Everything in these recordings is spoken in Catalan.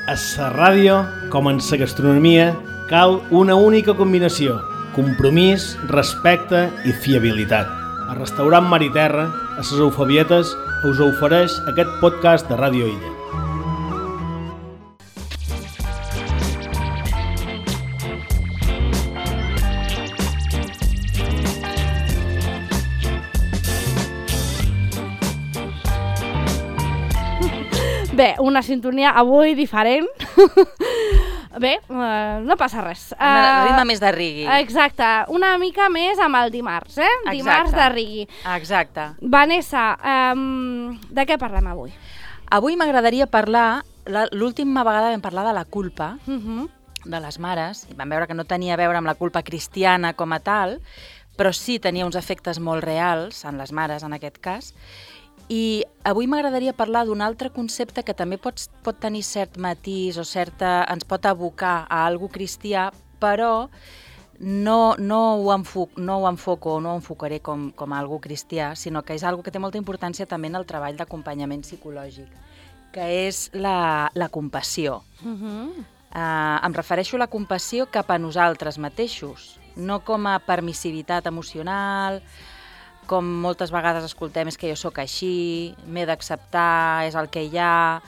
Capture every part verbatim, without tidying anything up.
A la ràdio, com en la gastronomia, cal una única combinació: compromís, respecte i fiabilitat. El restaurant Mar i Terra, a les Eufebietes, us ofereix aquest podcast de Ràdio Illa. Bé, una sintonia avui diferent. Bé, uh, no passa res. Uh, ritme més de rigui. Exacte, una mica més amb el dimarts, eh? Exacte. Dimarts de rigui. Exacte. Vanessa, um, de què parlem avui? Avui m'agradaria parlar, l'última vegada vam parlar de la culpa, Uh -huh. de les mares, i vam veure que no tenia a veure amb la culpa cristiana com a tal, però sí tenia uns efectes molt reals en les mares, en aquest cas. I avui m'agradaria parlar d'un altre concepte que també pot, pot tenir cert matís o certa, ens pot abocar a algo cristià, però no, no, ho, enfoc, no ho enfoco o no ho enfocaré com, com a algo cristià, sinó que és algo que té molta importància també en el treball d'acompanyament psicològic, que és la, la compassió. Uh -huh. Uh, em refereixo a la compassió cap a nosaltres mateixos, no com a permissivitat emocional, com moltes vegades escoltem és que jo sóc així, m'he d'acceptar, és el que hi ha,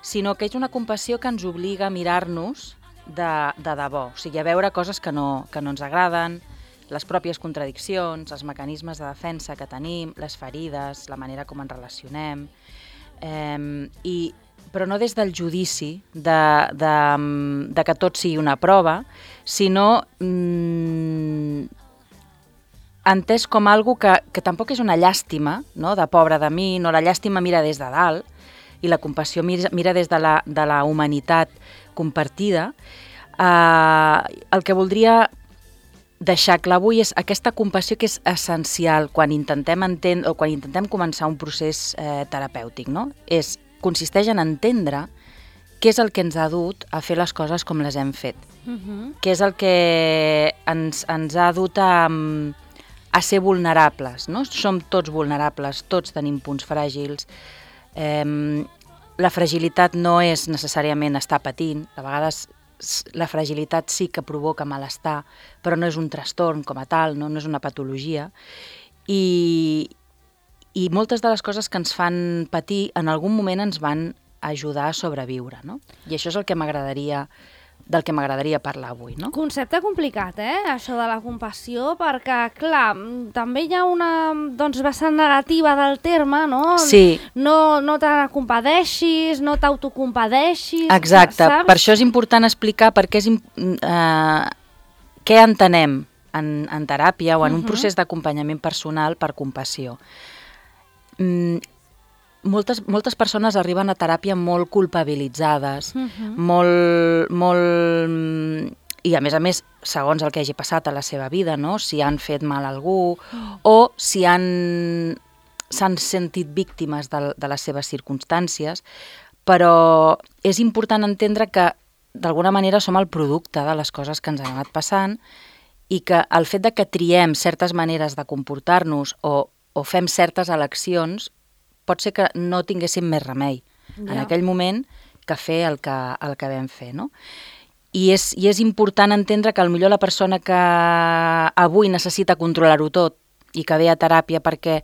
sinó que és una compassió que ens obliga a mirar-nos de, de debò, o sigui, a veure coses que no, que no ens agraden, les pròpies contradiccions, els mecanismes de defensa que tenim, les ferides, la manera com ens relacionem, eh, i, però no des del judici de, de, de que tot sigui una prova, sinó mmm, entès com algo que, que tampoc és una llàstima, no? De pobre de mi, no, la llàstima mira des de dalt i la compassió mira, mira des de la, de la humanitat compartida. Uh, el que voldria deixar clar avui és aquesta compassió que és essencial quan intentem entendre o quan intentem començar un procés eh, terapèutic, no? És, consisteix en entendre què és el que ens ha dut a fer les coses com les hem fet, Uh -huh. què és el que ens, ens ha dut a... a ser vulnerables, no? Som tots vulnerables, tots tenim punts fràgils. Eh, la fragilitat no és necessàriament estar patint, a vegades la fragilitat sí que provoca malestar, però no és un trastorn com a tal, no, no és una patologia. I, I moltes de les coses que ens fan patir en algun moment ens van ajudar a sobreviure, no? I això és el que m'agradaria del que m'agradaria parlar avui, no? Concepte complicat, eh? Això de la compassió, perquè, clar, també hi ha una doncs, vessant negativa del terme, no? Sí. No, no te compadeixis, no t'autocompadeixis. Exacte, saps? Per això és important explicar per què és, eh, què entenem en, en teràpia o en uh-huh. un procés d'acompanyament personal per compassió. Mm, Moltes, moltes persones arriben a teràpia molt culpabilitzades, uh-huh. molt, molt... I a més a més, segons el que hagi passat a la seva vida, no? Si han fet mal a algú uh-huh. o si han s'han sentit víctimes de, de les seves circumstàncies, però és important entendre que d'alguna manera som el producte de les coses que ens han anat passant i que el fet de que triem certes maneres de comportar-nos o, o fem certes eleccions pot ser que no tinguéssim més remei ja. en aquell moment que fer el que, el que vam fer, no? I és, I és important entendre que potser la persona que avui necessita controlar-ho tot i que ve a teràpia perquè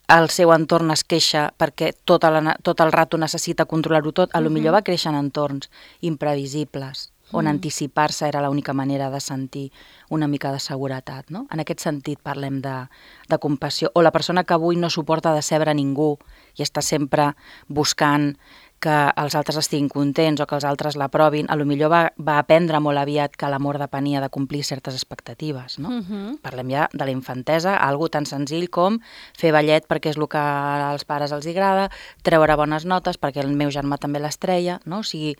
el seu entorn es queixa, perquè tot, la, tot el rato necessita controlar-ho tot, a lo millor va créixer en entorns imprevisibles, on mm. anticipar-se era l'única manera de sentir una mica de seguretat, no? En aquest sentit parlem de, de compassió. O la persona que avui no suporta decebre ningú i està sempre buscant que els altres estiguin contents o que els altres l'aprovin, a lo millor va, va aprendre molt aviat que l'amor depenia de complir certes expectatives, no? Uh-huh. Parlem ja de la infantesa, algo tan senzill com fer ballet perquè és el que als pares els agrada, treure bones notes perquè el meu germà també les treia, no? O sigui,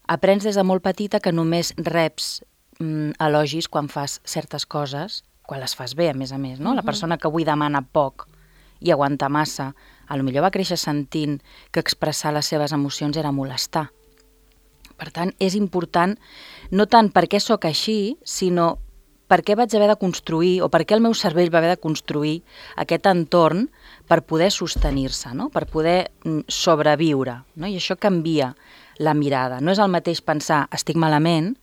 aprens des de molt petita que només reps mm, elogis quan fas certes coses, quan les fas bé, a més a més, no? Uh-huh. La persona que avui demana poc i aguanta massa, a lo millor va créixer sentint que expressar les seves emocions era molestar. Per tant, és important, no tant perquè sóc així, sinó per què vaig haver de construir, o per què el meu cervell va haver de construir aquest entorn per poder sostenir-se, no? Per poder sobreviure, no? I això canvia la mirada. No és el mateix pensar, estic malament,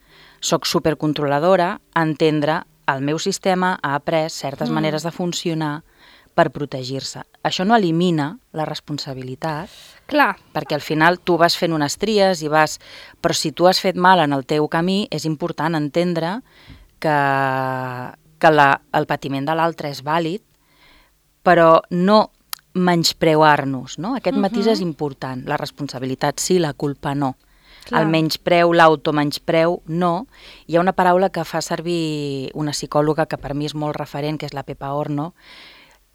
soc supercontroladora, entendre el meu sistema ha après certes mm. maneres de funcionar per protegir-se. Això no elimina la responsabilitat, clar, perquè al final tu vas fent unes tries i vas... Però si tu has fet mal en el teu camí, és important entendre que, que la, el patiment de l'altre és vàlid, però no menyspreuar-nos, no? Aquest uh-huh. matís és important. La responsabilitat sí, la culpa no. Clar. El menyspreu, l'automenyspreu, no. Hi ha una paraula que fa servir una psicòloga que per mi és molt referent, que és la Pepa Horno,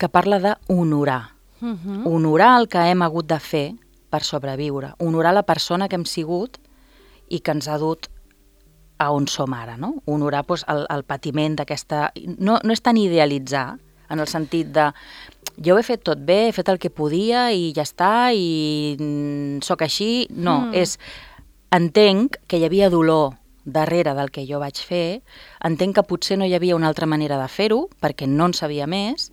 que parla d'honorar. Uh-huh. Honorar el que hem hagut de fer per sobreviure. Honorar la persona que hem sigut i que ens ha dut a on som ara, no? Honorar doncs, el, el patiment d'aquesta... No, no és tan idealitzar, en el sentit de jo ho he fet tot bé, he fet el que podia i ja està, i mm, sóc així. No, mm. és... Entenc que hi havia dolor darrere del que jo vaig fer, entenc que potser no hi havia una altra manera de fer-ho, perquè no en sabia més,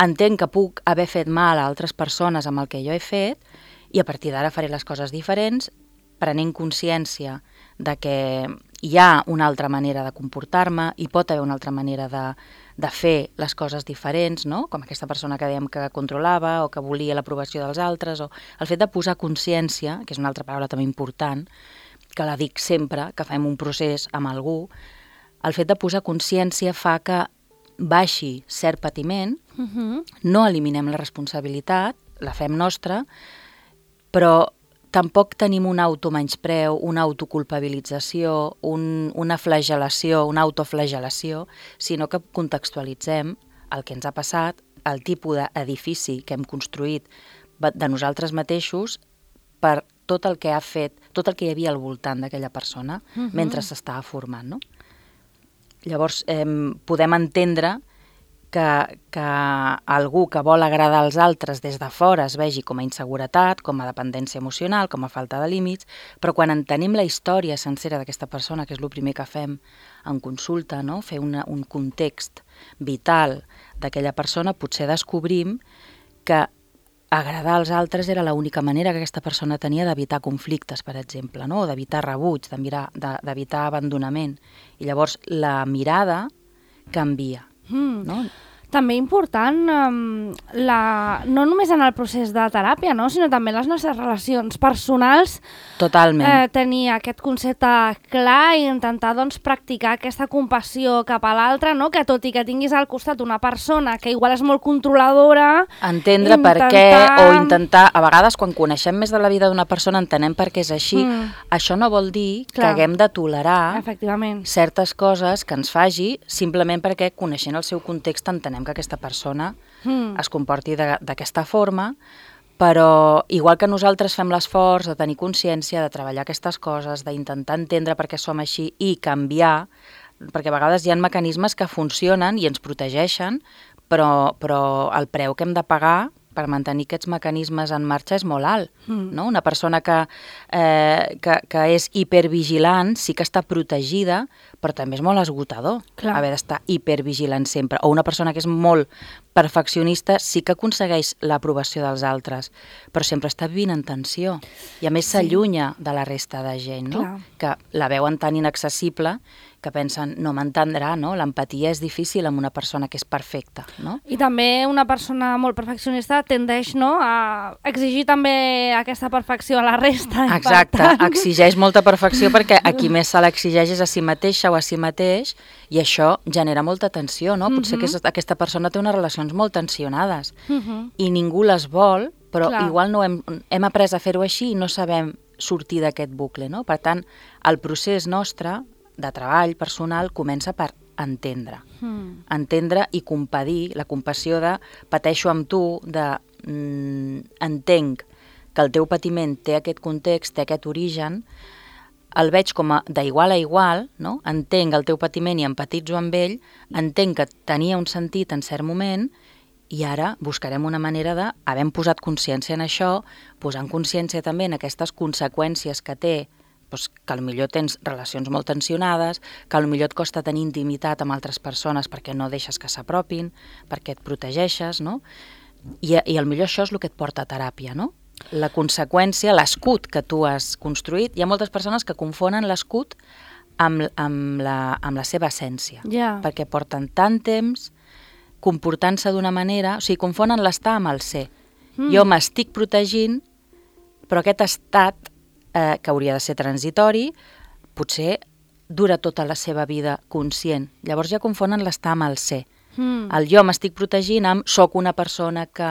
entenc que puc haver fet mal a altres persones amb el que jo he fet, i a partir d'ara faré les coses diferents, prenent consciència de que hi ha una altra manera de comportar-me, hi pot haver una altra manera de, de fer les coses diferents, no? Com aquesta persona que dèiem que controlava o que volia l'aprovació dels altres, o el fet de posar consciència, que és una altra paraula també important, que la dic sempre, que fem un procés amb algú, el fet de posar consciència fa que baixi cert patiment, uh-huh. no eliminem la responsabilitat, la fem nostra, però tampoc tenim un automenyspreu, una autoculpabilització, un, una flagel·lació, una autoflagel·lació, sinó que contextualitzem el que ens ha passat, el tipus d'edifici que hem construït de nosaltres mateixos per tot el que ha fet, tot el que hi havia al voltant d'aquella persona uh-huh. mentre s'estava formant, no? Llavors, eh, podem entendre que, que algú que vol agradar als altres des de fora es vegi com a inseguretat, com a dependència emocional, com a falta de límits, però quan entenem la història sencera d'aquesta persona, que és el primer que fem en consulta, no? Fer una, un context vital d'aquella persona, potser descobrim que agradar als altres era l'única manera que aquesta persona tenia d'evitar conflictes, per exemple, no? O d'evitar rebuig, d'evitar abandonament. I llavors la mirada canvia. Mm. No? També important, um, la, no només en el procés de teràpia, no? Sinó també en les nostres relacions personals. Totalment. Eh, tenir aquest concepte clar i intentar doncs, practicar aquesta compassió cap a l'altre, no? Que tot i que tinguis al costat una persona que igual és molt controladora... Entendre intentar... per què, o intentar... A vegades, quan coneixem més de la vida d'una persona, entenem per què és així. Mm. Això no vol dir clar. Que haguem de tolerar certes coses que ens faci simplement perquè, coneixent el seu context, entenem que aquesta persona mm. es comporti d'aquesta forma, però igual que nosaltres fem l'esforç de tenir consciència, de treballar aquestes coses, d'intentar entendre per què som així i canviar, perquè a vegades hi ha mecanismes que funcionen i ens protegeixen, però, però el preu que hem de pagar per mantenir aquests mecanismes en marxa és molt alt. Mm. No? Una persona que, eh, que, que és hipervigilant sí que està protegida, però també és molt esgotador Clar. Haver d'estar hipervigilant sempre. O una persona que és molt perfeccionista sí que aconsegueix l'aprovació dels altres, però sempre està vivint en tensió. I a més s'allunya sí. de la resta de gent, no? Que la veuen tan inaccessible que pensen, no m'entendrà, no? L'empatia és difícil amb una persona que és perfecta, no? I també una persona molt perfeccionista tendeix, no?, a exigir també aquesta perfecció a la resta. Exacte, tant... exigeix molta perfecció perquè a qui més se l'exigeix és a si mateixa o a si mateix, i això genera molta tensió, no? Potser uh-huh. que aquesta persona té unes relacions molt tensionades uh-huh. i ningú les vol, però Clar. Igual no hem, hem après a fer-ho així i no sabem sortir d'aquest bucle, no? Per tant, el procés nostre de treball personal comença per entendre. Mm. Entendre i compadir, la compassió de pateixo amb tu, de mm, entenc que el teu patiment té aquest context, té aquest origen, el veig com a d'igual a igual, no? Entenc el teu patiment i empatitzo amb ell, entenc que tenia un sentit en cert moment i ara buscarem una manera de, havent posat consciència en això, posant consciència també en aquestes conseqüències que té doncs, que potser tens relacions molt tensionades, que potser et costa tenir intimitat amb altres persones perquè no deixes que s'apropin, perquè et protegeixes, no? I, i potser això és el que et porta a teràpia, no? La conseqüència, l'escut que tu has construït. Hi ha moltes persones que confonen l'escut amb, amb, la, amb la seva essència, yeah. perquè porten tant temps comportant-se d'una manera, o sigui, confonen l'estar amb el ser. Mm. Jo m'estic protegint, però aquest estat, eh, que hauria de ser transitori, potser dura tota la seva vida conscient. Llavors ja confonen l'estar amb el ser. Mm. El jo m'estic protegint amb soc una persona que...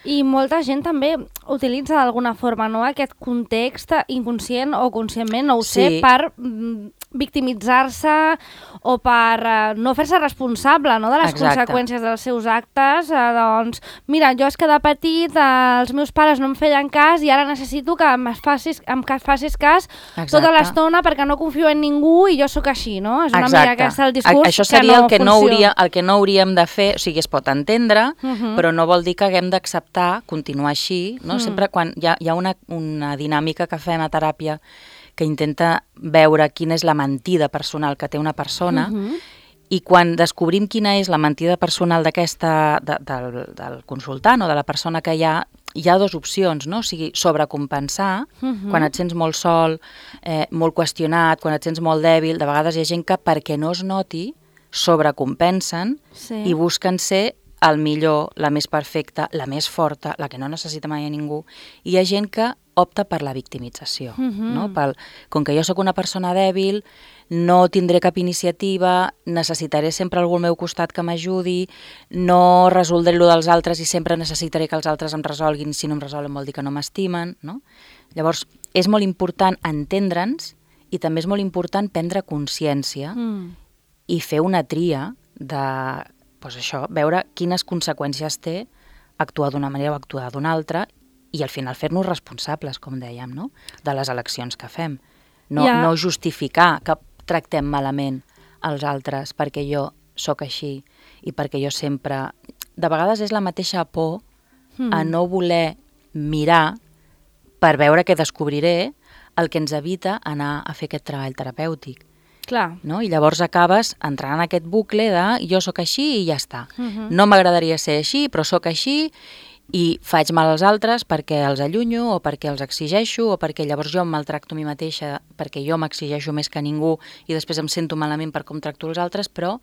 I molta gent també utilitza d'alguna forma, no?, aquest context inconscient o conscientment, no ho Sí. sé, per mm, victimitzar-se o per eh, no fer-se responsable, no?, de les Exacte. conseqüències dels seus actes. Eh, doncs, mira, jo és que de petit eh, els meus pares no em feien cas i ara necessito que em facis, em que facis cas Exacte. tota l'estona perquè no confio en ningú i jo sóc així, no? És una Exacte. mica aquest el discurs A, això seria que no el, que no funciona. hauria, el que no hauríem de fer, o sigui, es pot entendre, Uh -huh. però no vol dir que haguem d'acceptar continuar així, no? Mm. Sempre quan hi ha, hi ha una, una dinàmica que fem a teràpia que intenta veure quina és la mentida personal que té una persona, Uh -huh. i quan descobrim quina és la mentida personal d'aquesta, de, del, del consultant o de la persona que hi ha, hi ha dues opcions, no? O sigui, sobrecompensar, Uh -huh. quan et sents molt sol, eh, molt qüestionat, quan et sents molt dèbil, de vegades hi ha gent que perquè no es noti, sobrecompensen Sí. i busquen ser el millor, la més perfecta, la més forta, la que no necessita mai a ningú. I hi ha gent que opta per la victimització, Uh -huh. no? Pel, com que jo sóc una persona dèbil, no tindré cap iniciativa, necessitaré sempre algú al meu costat que m'ajudi, no resoldré allò dels altres i sempre necessitaré que els altres em resolguin, si no em resolen vol dir que no m'estimen, no? Llavors, és molt important entendre'ns i també és molt important prendre consciència Mm. i fer una tria de, doncs això, veure quines conseqüències té actuar d'una manera o actuar d'una altra i al final fer-nos responsables, com dèiem, no?, de les eleccions que fem. No, Ja. no justificar que tractem malament els altres perquè jo sóc així i perquè jo sempre... De vegades és la mateixa por Mm. a no voler mirar per veure què descobriré el que ens evita anar a fer aquest treball terapèutic. Clar. No? I llavors acabes entrant en aquest bucle de jo sóc així i ja està. Uh -huh. No m'agradaria ser així, però sóc així i faig mal als altres perquè els allunyo o perquè els exigeixo o perquè llavors jo em maltracto a mi mateixa perquè jo m'exigeixo més que ningú i després em sento malament per com tracto els altres, però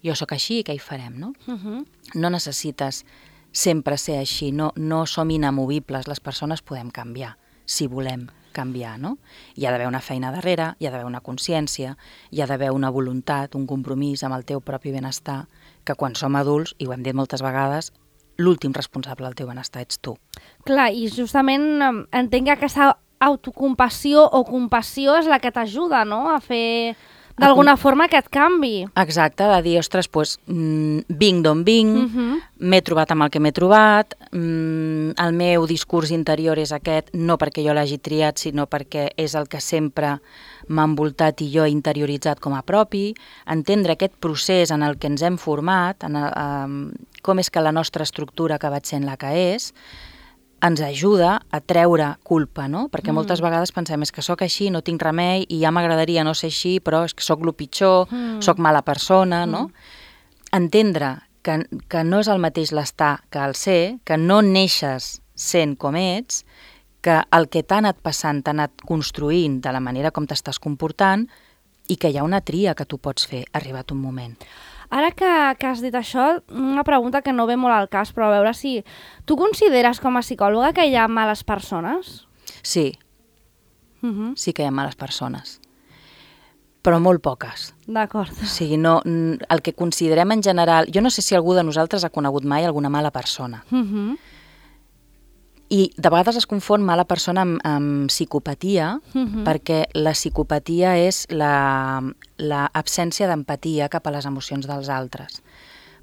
jo sóc així i què hi farem, no? Uh -huh. No necessites sempre ser així, no, no som inamovibles, les persones podem canviar, si volem canviar, no? Hi ha d'haver una feina darrere, hi ha d'haver una consciència, hi ha d'haver una voluntat, un compromís amb el teu propi benestar, que quan som adults, i ho hem dit moltes vegades, l'últim responsable del teu benestar ets tu. Clar, i justament em, entenc que aquesta autocompassió o compassió és la que t'ajuda, no?, a fer d'alguna forma aquest canvi. Exacte, de dir, ostres, doncs, mm, vinc d'on vinc, Uh -huh. m'he trobat amb el que m'he trobat, mm, el meu discurs interior és aquest, no perquè jo l'hagi triat, sinó perquè és el que sempre m'ha envoltat i jo he interioritzat com a propi, entendre aquest procés en el que ens hem format, en el, um, com és que la nostra estructura ha acabat sent la que és, ens ajuda a treure culpa, no? Perquè Mm. moltes vegades pensem, és que sóc així, no tinc remei, i ja m'agradaria no ser així, però és que sóc el pitjor, Mm. sóc mala persona, no? Entendre que, que no és el mateix l'estar que el ser, que no neixes sent com ets, que el que t'ha anat passant t'ha anat construint de la manera com t'estàs comportant i que hi ha una tria que tu pots fer arribat un moment. Ara que, que has dit això, una pregunta que no ve molt al cas, però a veure si... Tu consideres com a psicòloga que hi ha males persones? Sí, Uh -huh. sí que hi ha males persones, però molt poques. D'acord. O sigui, no, el que considerem en general... Jo no sé si algú de nosaltres ha conegut mai alguna mala persona. Uh -huh. I de vegades es confon mala persona amb, amb psicopatia, Uh -huh. perquè la psicopatia és l'absència d'empatia cap a les emocions dels altres.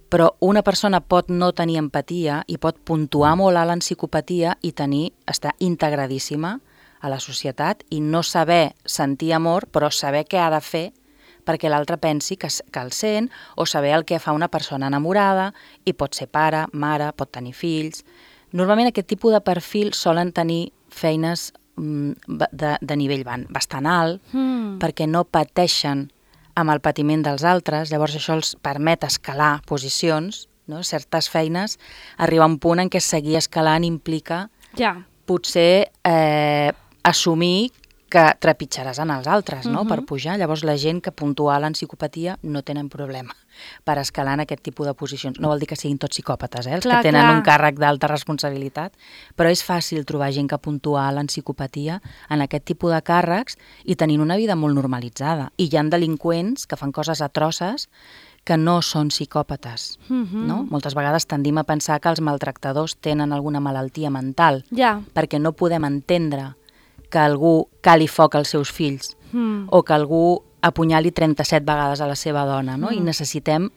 Però una persona pot no tenir empatia i pot puntuar molt alt en psicopatia i tenir, estar integradíssima a la societat i no saber sentir amor, però saber què ha de fer perquè l'altre pensi que, que el sent, o saber el que fa una persona enamorada, i pot ser pare, mare, pot tenir fills. Normalment aquest tipus de perfil solen tenir feines de, de nivell bastant alt, Mm. perquè no pateixen amb el patiment dels altres, llavors això els permet escalar posicions, no? Certes feines, arribar a un punt en què seguir escalant implica Ja. potser eh, assumir que trepitjaràs en els altres, no? Mhm. Per pujar. Llavors la gent que puntual en psicopatia no tenen problema per escalar en aquest tipus de posicions. No vol dir que siguin tots psicòpates, eh? Els Clar, que tenen clar. un càrrec d'alta responsabilitat, però és fàcil trobar gent que puntual en psicopatia en aquest tipus de càrrecs i tenint una vida molt normalitzada. I hi ha delinqüents que fan coses atroces que no són psicòpates, Mhm. no? Moltes vegades tendim a pensar que els maltractadors tenen alguna malaltia mental, Ja. perquè no podem entendre que algú cali foc als seus fills Mm. o que algú apunyali trenta-set vegades a la seva dona, no? Mm. I necessitem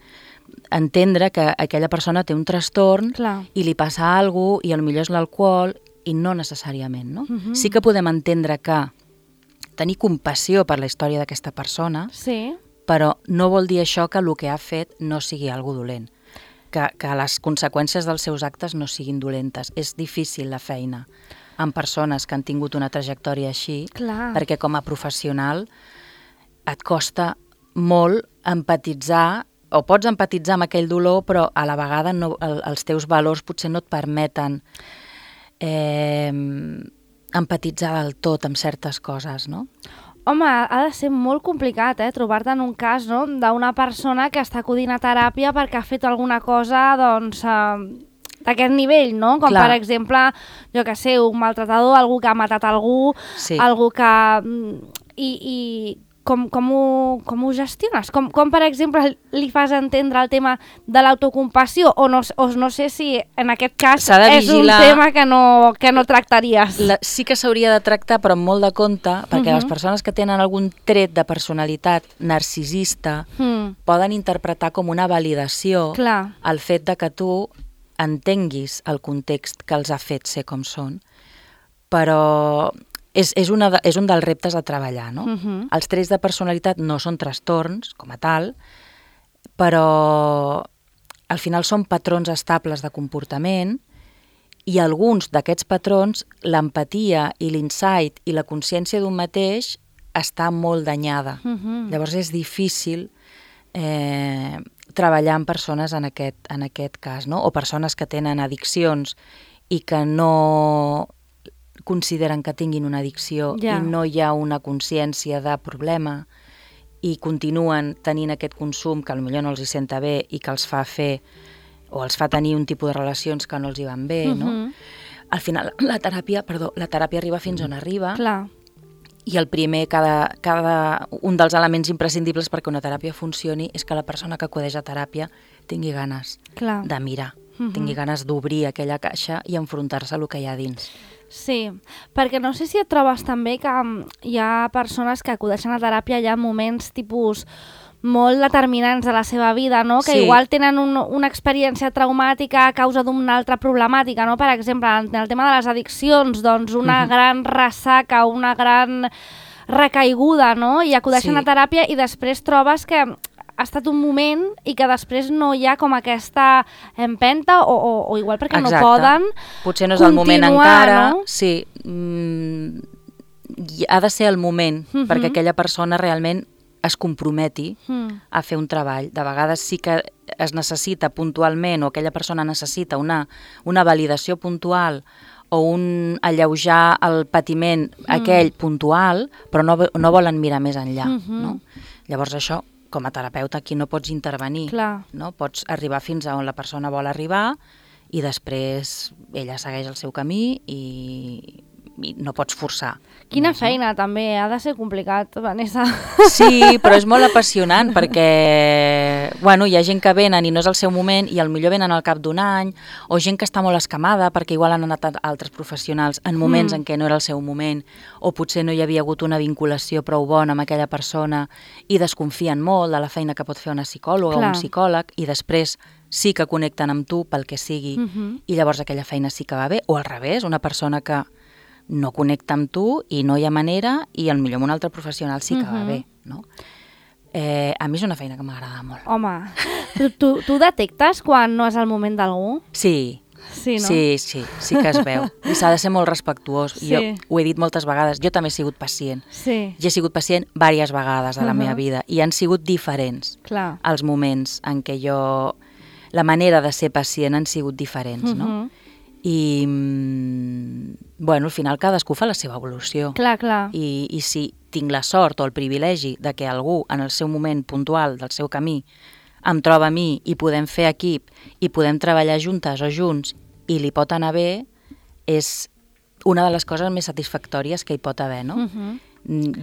entendre que aquella persona té un trastorn Clar. i li passa alguna cosa i potser és l'alcohol i no necessàriament, no? Mhm. Sí que podem entendre que tenir compassió per la història d'aquesta persona, Sí. però no vol dir això que el que ha fet no sigui algo dolent, que, que les conseqüències dels seus actes no siguin dolentes. És difícil la feina amb persones que han tingut una trajectòria així, Clar. perquè com a professional et costa molt empatitzar, o pots empatitzar amb aquell dolor, però a la vegada no, el, els teus valors potser no et permeten eh, empatitzar del tot amb certes coses, no? Home, ha de ser molt complicat, eh, trobar-te en un cas, no?, d'una persona que està acudint a teràpia perquè ha fet alguna cosa, doncs, eh, d'aquest nivell, no? Com, Clar. per exemple, jo que sé, un maltratador, algú que ha matat algú, Sí. algú que... mm, I, i com, com, ho, com ho gestiones? Com, com, per exemple, li fas entendre el tema de l'autocompassió? O no, o no sé si en aquest cas S'ha de és un vigilar. tema que no, que no tractaries. La, sí que s'hauria de tractar, però amb molt de compte, perquè Mhm. les persones que tenen algun tret de personalitat narcisista Mm, poden interpretar com una validació clar. el fet de que tu entenguis el context que els ha fet ser com són, però és, és, una de, és un dels reptes a treballar, no? Mhm. Els trets de personalitat no són trastorns, com a tal, però al final són patrons estables de comportament i alguns d'aquests patrons, l'empatia i l'insight i la consciència d'un mateix està molt danyada. Mhm. Llavors és difícil eh, treballar amb persones en aquest, en aquest cas, no? O persones que tenen addiccions i que no consideren que tinguin una addicció Ja. i no hi ha una consciència de problema i continuen tenint aquest consum que potser no els hi senta bé i que els fa fer o els fa tenir un tipus de relacions que no els hi van bé, no? Mhm. Al final la teràpia, perdó, la teràpia arriba fins on arriba. Clar. I el primer, cada, cada, un dels elements imprescindibles perquè una teràpia funcioni és que la persona que acudeix a teràpia tingui ganes Clar. de mirar, Mhm. tingui ganes d'obrir aquella caixa i enfrontar-se a el que hi ha dins. Sí, perquè no sé si et trobes també que mm, hi ha persones que acudeixen a teràpia ja en moments tipus molt determinants de la seva vida, no? Que Sí. igual tenen un, una experiència traumàtica a causa d'una altra problemàtica, no? Per exemple, en el tema de les addiccions, doncs una Mhm. gran ressaca, una gran recaiguda, no? I acudeixen Sí. a teràpia i després trobes que ha estat un moment i que després no hi ha com aquesta empenta o, o, o igual perquè Exacte. no poden Potser no és el moment continuar, encara. no? Sí, mm, i ha de ser el moment Mhm. perquè aquella persona realment es comprometi Mm. a fer un treball. De vegades sí que es necessita puntualment o aquella persona necessita una, una validació puntual o un alleujar el patiment Mm. aquell puntual, però no, no volen mirar més enllà. Mhm. No? Llavors això, com a terapeuta, aquí no pots intervenir. Clar. No? Pots arribar fins a on la persona vol arribar i després ella segueix el seu camí i, i no pots forçar. Quina més, no? feina, també. Ha de ser complicat, Vanessa. Sí, però és molt apassionant perquè bueno, hi ha gent que venen i no és el seu moment i potser venen al cap d'un any o gent que està molt escamada perquè igual han anat a altres professionals en moments Mm. en què no era el seu moment o potser no hi havia hagut una vinculació prou bona amb aquella persona i desconfien molt de la feina que pot fer una psicòloga Clar. o un psicòleg i després sí que connecten amb tu pel que sigui Mhm. i llavors aquella feina sí que va bé o al revés, una persona que no connecta amb tu i no hi ha manera i potser amb un altre professional sí que va Mhm. bé, no? Eh, a mi és una feina que m'agrada molt. Home, tu, tu, tu detectes quan no és el moment d'algú? Sí, Sí, no? Sí, sí, sí que es veu. I s'ha de ser molt respectuós. Sí. Jo ho he dit moltes vegades, jo també he sigut pacient. Sí. Jo he sigut pacient diverses vegades a la Uh-huh. meva vida i han sigut diferents Clar. els moments en què jo... La manera de ser pacient han sigut diferents, no? Uh-huh. I, mm, bueno, al final cadascú fa la seva evolució. Clar, clar. I, I si tinc la sort o el privilegi de que algú en el seu moment puntual del seu camí em troba a mi i podem fer equip i podem treballar juntes o junts i li pot anar bé, és una de les coses més satisfactòries que hi pot haver, no? Uh-huh.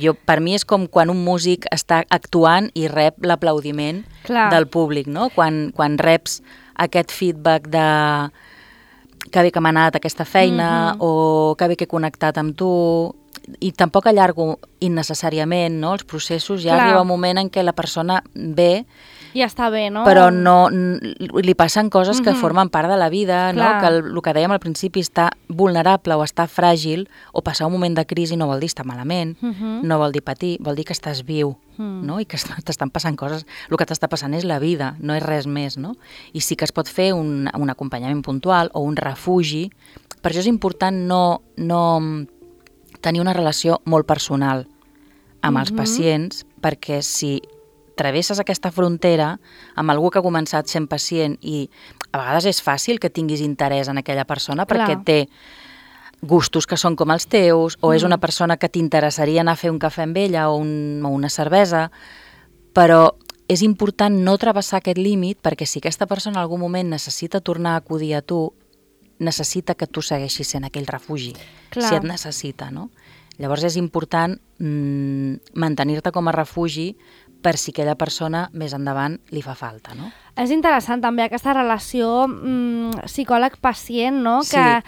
Jo, per mi és com quan un músic està actuant i rep l'aplaudiment del públic, no? Quan, quan reps aquest feedback de que bé que m'ha anat aquesta feina, uh-huh. o que bé que he connectat amb tu, i tampoc allargo innecessàriament, no? Els processos, ja Clar. arriba un moment en què la persona ve, Ja està bé, no? però no, li passen coses que Mhm. formen part de la vida, no? Clar. Que el, el que dèiem al principi, està vulnerable o està fràgil, o passar un moment de crisi no vol dir estar malament, Mhm. no vol dir patir, vol dir que estàs viu, Mm. no? I que est- t'estan passant coses. El que t'està passant és la vida, no és res més, no? I sí que es pot fer un, un acompanyament puntual o un refugi. Per això és important no, no tenir una relació molt personal amb els Mhm. pacients, perquè si travesses aquesta frontera amb algú que ha començat sent pacient i a vegades és fàcil que tinguis interès en aquella persona perquè Clar. té gustos que són com els teus, o és Mm. una persona que t'interessaria anar a fer un cafè amb ella o, un, o una cervesa, però és important no travessar aquest límit perquè si aquesta persona en algun moment necessita tornar a acudir a tu, necessita que tu segueixis sent aquell refugi, Clar. si et necessita, no? Llavors és important mm, mantenir-te com a refugi per si aquella persona més endavant li fa falta, no? És interessant també aquesta relació mm, psicòleg-pacient, no? Sí. Que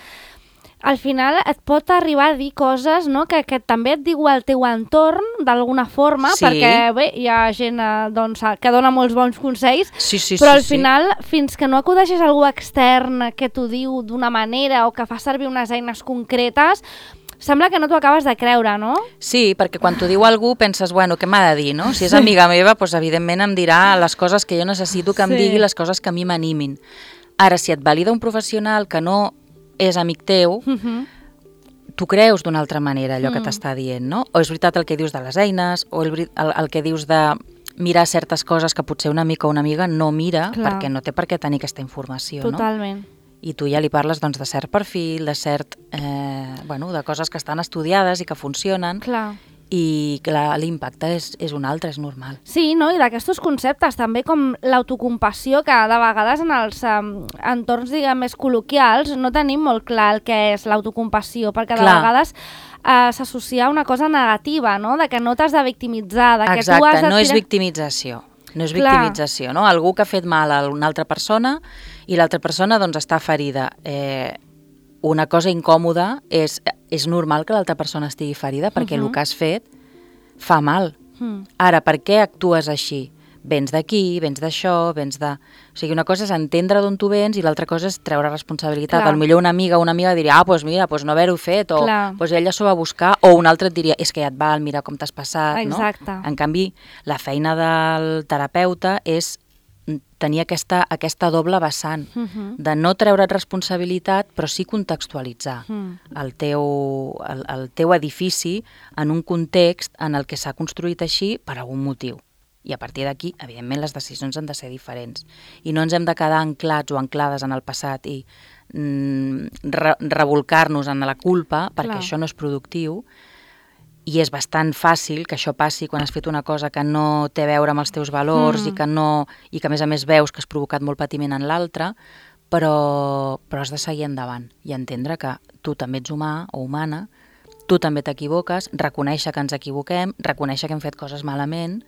al final et pot arribar a dir coses, no? que, que també et diu el teu entorn d'alguna forma, Sí. perquè bé, hi ha gent eh, doncs, que dona molts bons consells, Sí, sí, però sí, al sí. final, fins que no acudeixes a algú extern que t'ho diu d'una manera o que fa servir unes eines concretes, sembla que no t'ho acabes de creure, no? Sí, perquè quan t'ho diu algú penses, bueno, què m'ha de dir, no? Si és amiga meva, doncs evidentment em dirà les coses que jo necessito que em Sí. digui, les coses que a mi m'animin. Ara, si et valida un professional que no és amic teu, Uh-huh. tu creus d'una altra manera allò Mm. que t'està dient, no? O és veritat el que dius de les eines, o el, veri- el, el que dius de mirar certes coses que potser un amic o una amiga no mira, Clar. perquè no té per què tenir aquesta informació, no? Totalment. I tu ja li parles doncs, de cert perfil, de cert, eh, bueno, de coses que estan estudiades i que funcionen, Clar. i clar, l'impacte és, és un altre, és normal. Sí, no? I d'aquests conceptes també com l'autocompassió, que de vegades en els um, entorns diguem, més col·loquials no tenim molt clar el que és l'autocompassió, perquè de Clar. vegades uh, s'associa a una cosa negativa, no? De que no t'has de victimitzar, de que Exacte, tu has de no és tirar... victimització. No és Clar. victimització, no? Algú que ha fet mal a una altra persona i l'altra persona doncs, està ferida. Eh, una cosa incòmoda és, és normal que l'altra persona estigui ferida perquè Mhm. el que has fet fa mal. Mm. Ara, per què actues així? Vens d'aquí, vens d'això, vens de... O sigui, una cosa és entendre d'on tu vens i l'altra cosa és treure responsabilitat. Clar. Al millor una amiga o una amiga diria, ah, doncs mira, doncs no haver-ho fet, o Clar. doncs ella s'ho va buscar, o un altre et diria, és que ja et val, mira com t'has passat, Exacte. no? En canvi, la feina del terapeuta és tenir aquesta, aquesta doble vessant, Mhm. de no treure't responsabilitat, però sí contextualitzar Mm. el teu, el, el teu edifici en un context en el que s'ha construït així per algun motiu. I a partir d'aquí, evidentment, les decisions han de ser diferents. I no ens hem de quedar anclats o anclades en el passat i mm, re revolcar-nos en la culpa, perquè Clar. això no és productiu, i és bastant fàcil que això passi quan has fet una cosa que no té a veure amb els teus valors Mm. i, que no, i que a més a més veus que has provocat molt patiment en l'altre, però, però has de seguir endavant i entendre que tu també ets humà o humana, tu també t'equivoques, reconèixer que ens equivoquem, reconèixer que hem fet coses malament,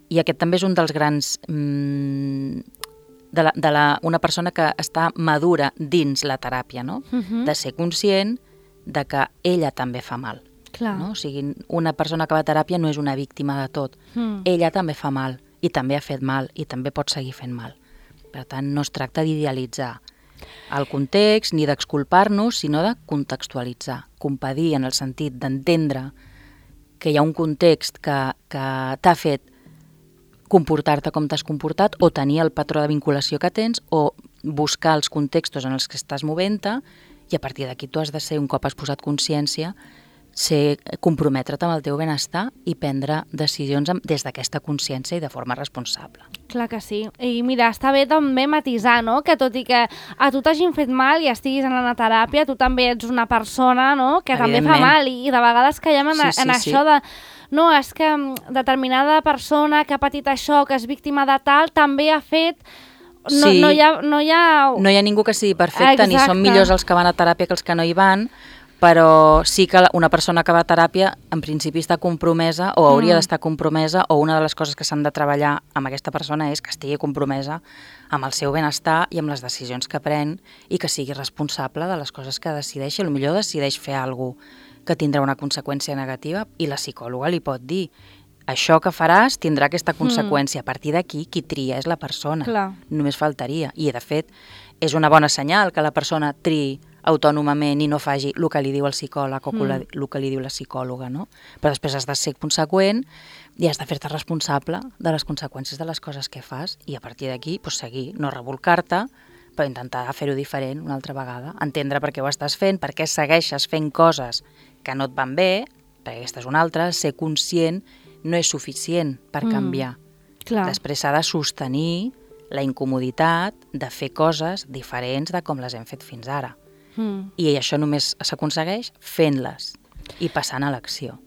i aquest també és un dels grans... Mm, de, la, de la, una persona que està madura dins la teràpia, no? Mhm. De ser conscient de que ella també fa mal. Clar. No? O sigui, una persona que va a teràpia no és una víctima de tot. Mm. Ella també fa mal, i també ha fet mal, i també pot seguir fent mal. Per tant, no es tracta d'idealitzar el context ni d'exculpar-nos, sinó de contextualitzar, compadir en el sentit d'entendre que hi ha un context que, que t'ha fet comportar-te com t'has comportat o tenir el patró de vinculació que tens o buscar els contextos en els que estàs movent-te i a partir d'aquí tu has de ser, un cop has posat consciència, ser, comprometre't amb el teu benestar i prendre decisions des d'aquesta consciència i de forma responsable. Clar que sí. I mira, està bé també matisar, no? Que tot i que a tu t'hagin fet mal i estiguis en la teràpia, tu també ets una persona, no? Que també fa mal i, i de vegades caiem en, sí, sí, en això sí. de... No, és que determinada persona que ha patit això, que és víctima de tal, també ha fet... No, sí. no, hi ha, no, hi ha... no hi ha ningú que sigui perfecte, Exacte. Ni són millors els que van a teràpia que els que no hi van, però sí que una persona que va a teràpia en principi està compromesa o hauria mm. d'estar compromesa, o una de les coses que s'han de treballar amb aquesta persona és que estigui compromesa amb el seu benestar i amb les decisions que pren i que sigui responsable de les coses que decideix. I potser decideix fer alguna cosa que tindrà una conseqüència negativa i la psicòloga li pot dir això que faràs tindrà aquesta conseqüència. Mm. A partir d'aquí, qui tria és la persona. Clar. Només faltaria. I, de fet, és una bona senyal que la persona triï autònomament i no faci el que li diu el psicòleg o mm. el que li diu la psicòloga, no? Però després has de ser conseqüent i has de fer-te responsable de les conseqüències de les coses que fas i a partir d'aquí pues, seguir, no revolcar-te, però intentar fer-ho diferent una altra vegada, entendre per què ho estàs fent, per què segueixes fent coses que no et van bé, perquè aquesta és una altra, ser conscient no és suficient per canviar. Mm, clar. Després s'ha de sostenir la incomoditat de fer coses diferents de com les hem fet fins ara. Mm. I això només s'aconsegueix fent-les i passant a l'acció.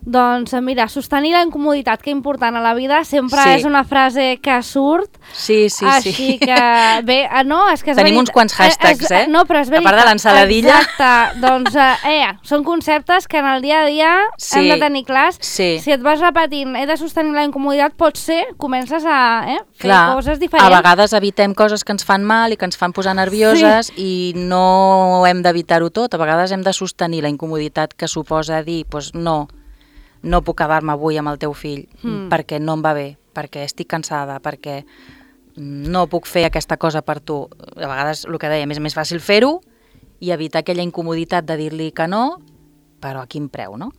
Doncs mira, sostenir la incomoditat, que important a la vida, sempre sí. és una frase que surt. Sí, sí, així sí. que, bé, no, és que és Tenim verit... uns quants hashtags, eh? No, però és veritat. A part de l'ensaladilla. Exacte, doncs, eh, són conceptes que en el dia a dia sí. hem de tenir clars. Sí. Si et vas repetint, he de sostenir la incomoditat, potser comences a eh, fer Clar, coses diferents. A vegades evitem coses que ens fan mal i que ens fan posar nervioses sí. i no hem d'evitar-ho tot. A vegades hem de sostenir la incomoditat que suposa dir, doncs no, no puc quedar-me avui amb el teu fill mm. perquè no em va bé, perquè estic cansada, perquè no puc fer aquesta cosa per tu. A vegades, el que dèiem, és més fàcil fer-ho i evitar aquella incomoditat de dir-li que no, però a quin preu, no?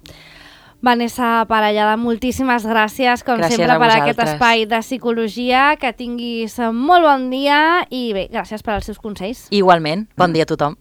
Vanessa Parellada, moltíssimes gràcies, com gràcies sempre, per vosaltres. aquest espai de psicologia, que tinguis molt bon dia i bé, gràcies per als seus consells. Igualment, bon dia a tothom.